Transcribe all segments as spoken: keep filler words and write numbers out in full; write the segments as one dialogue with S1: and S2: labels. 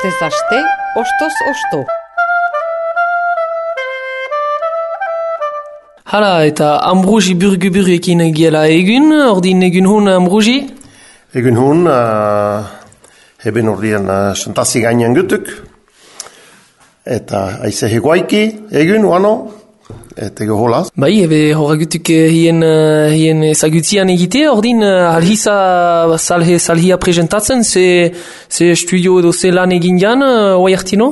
S1: Astez aste, ostoz osto.
S2: Hala, eta Ambrosi burgu-burguekin giela egun, ordin egun hun Ambrosi?
S3: Egun hun, uh, heben ordien uh, santasi gainean gutuk. Eta aize heguaiki egun, uano, eta ego holaz.
S2: Bai, ebe horagutuk hien, uh, hien ezagutzian egite, ordin uh, alhisa salhe, salhia presentatzen, ze, ze studio edo ze lan egin jan, uh, oai hartino?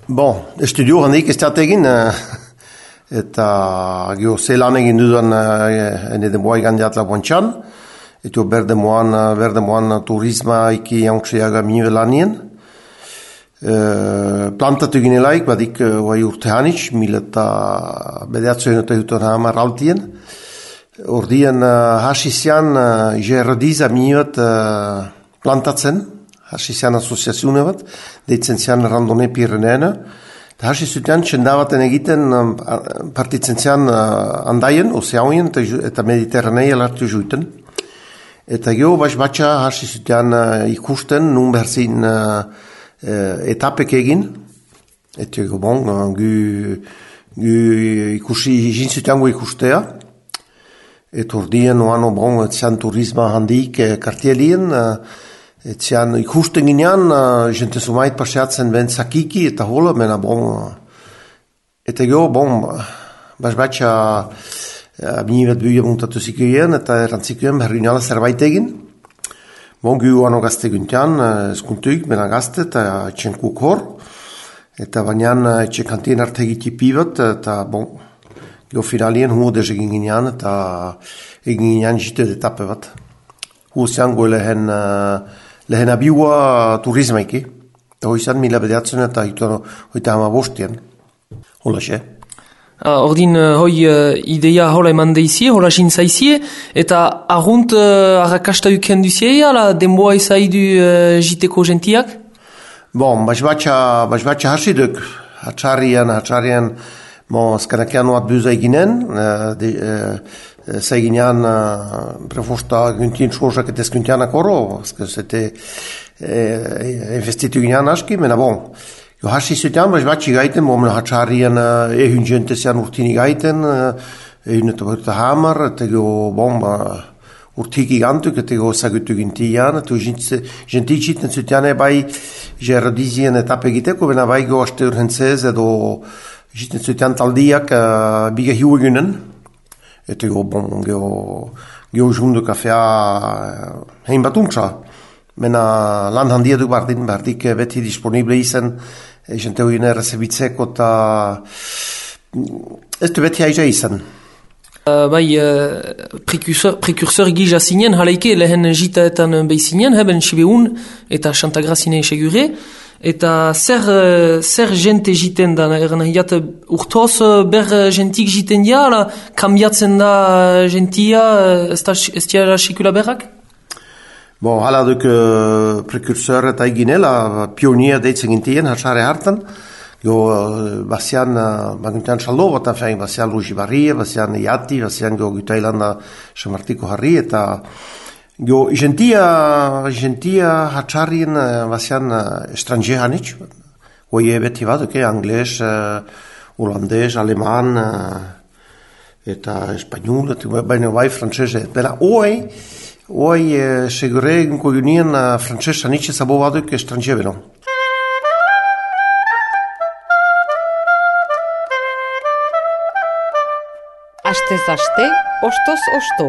S3: Bon, estudio handik ez teat egin, uh, eta gio ze lan egin dudan uh, ene demoa egan diat laboantxan, eta berde moan, berde moan turisma iki jaunksiaga minive lanien. Uh, plantatu ginelaik, badik uh, oai urte hanitz, mila eta bedeatzen eta juton hamar altien. Ordien uh, hasizian uh, jerodiza minivet uh, plantatzen, hasizian asoziazioune bat, deitzen zian randone Pireneena. Eta hasizutean txendavaten egiten um, partitzen zian uh, andaien, ozeauien eta mediterranei alartu juiten. Eta geho baiz batxa hasizutean uh, ikusten, nun berzin uh, Uh, etapek egin, eta bon, uh, gu, gu ikusi jintziteango ikustea, eta ordien oano bon, etzian turisma handik eh, kartielien, uh, etzian ikusten ginean, uh, jente sumait paseatzen ben sakiki eta hola, mena bon, uh, eta geho, bon, baiz batxa uh, binivet buia muntatu zikioen, eta erantzikioen berrinala zerbait egin. Bon, gu oano gazte guntean, eskuntuik, bena gazte, eta etxenkuk hor, eta bainan etxekantien arte egitipi bat, eta bon, gio finalien huodez egin ginean, eta egin ginean jite etape bat. Huozean goe lehen, lehen abiua turismaiki, eta hoizan mila bedeatzen eta hoita hama bostien. Hola xe.
S2: Uh, ordin, uh, hoi uh, ideia hola eman deizie, hola jintzaizie, eta argunt uh, arrakasta uken duzie, ala denboa izaidu uh, jiteko gentiak?
S3: Bon, baiz batxa, baiz batxa hasiduk, hatxarrian, hatxarrian, bon, skanakean oat buza eginen, uh, de, uh, zaiginean uh, prefosta guntien txorzak eta eskuntianak oro, zete uh, investitu ginean aski, mena bon, jo hasi zutean, baiz batxi gaiten, bo mena hatxarrian uh, ehun jente zean urtini gaiten, uh, ehun eta berta hamar, eta jo, bon, ba, urtiki gantuk, eta jo zagutu gintian, eta jenti txiten zutean bai jerodizien etape egiteko, bena bai go aste urhentzez, edo jiten zutean taldiak uh, biga hiu egunen, eta jo, bon, jo, jo jundu kafea uh, hein bat untsa. Mena lan handia du bardin, bardik beti disponible izan, jente hoien errezebitzeko eta ez du beti aiza izan.
S2: Uh, bai, uh, prekursor, prekursor gija zinen, halaike lehen jitaetan behizinen, heben sibeun eta Xantagrazine segure, eta zer, uh, zer jente jiten da, eran hiat urtoz ber jentik jiten dia, ala kambiatzen da jentia, ez da ez sikula berrak?
S3: Bon, hala duk uh, prekursor eta eginela, pionier deitzen gintien, hatxare hartan. Jo, uh, bazian, uh, baguntean xaldo bat, fein, bazian Luigi Barria, bazian Iati, bazian jo Gutailanda Samartiko Harri, eta jo, gentia, gentia hatxarien, uh, bazian uh, estranje hanitz, oie beti bat, okay? Angles, uh, holandez, aleman, uh, eta espanyol, eta baina bai frantzese, bera, oei, Oai, eh, segure inko junien uh, frantzesa nitxe zabo baduk estranje beno.
S1: Astez aste, ostoz osto.